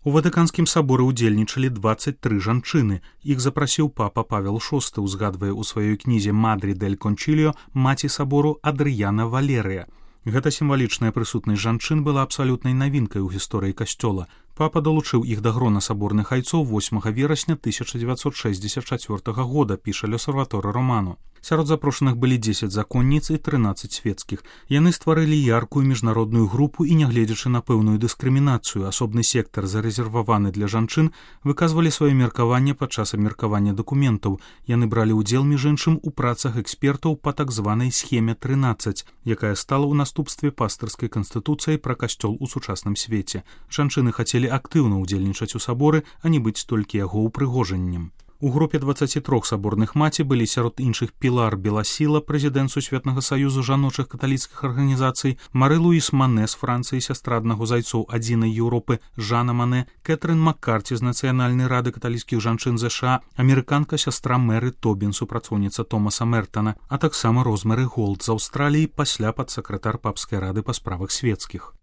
У Ватыканскім саборы ўдзельнічалі 23 жанчыны. Іх запрасіў папа Павел VI, узгадвае ў сваёй кнізе «Мадрі дель Кончилио» маці сабору Адрыяна Валерыя. Гэта сімвалічная прысутнасць жанчын была абсалютнай навінкай у гісторыі касцёла. Папа далучыў іх да грона саборных айцоў 8 верасня 1964 года, піша L'Osservatore Romano. Сярод запрошаных былі 10 законніц і 13 свецкіх. Яны стварылі яркую міжнародную групу і, нягледзячы на пэўную дыскрымінацыю, асобны сектар, зарэзерваваны для жанчын, выказвалі сваё меркаванне падчас абмеркавання дакументаў. Яны бралі ўдзел, між іншым, у працах экспертаў па так званай схеме 13, якая стала ў наступстве пастырскай канстытуцыяй пра касцёл у сучасным свеце. Жанчыны хацелі актыўна ўдзельнічаць у саборы, а не быць толькі яго ўпрыгожаннем. У групе 23 саборных маці былі сярод іншых Пілар Беласіла, прэзідэнт Сусветнага саюзу жаночых каталіцкіх арганізацый, Мары-Луіс Мане з Францыі, сястра аднаго з айцоў адзінай Еўропы, Жанна Мане, Кэтрын Маккарці з Нацыянальнай рады каталіцкіх жанчын ЗША, амерыканка сястра Мэры Тобін, супрацоўніца Томаса Мертана, а таксама Розмары Голд з Аўстраліі, пасля падсакратар папскай рады па справах свецкіх.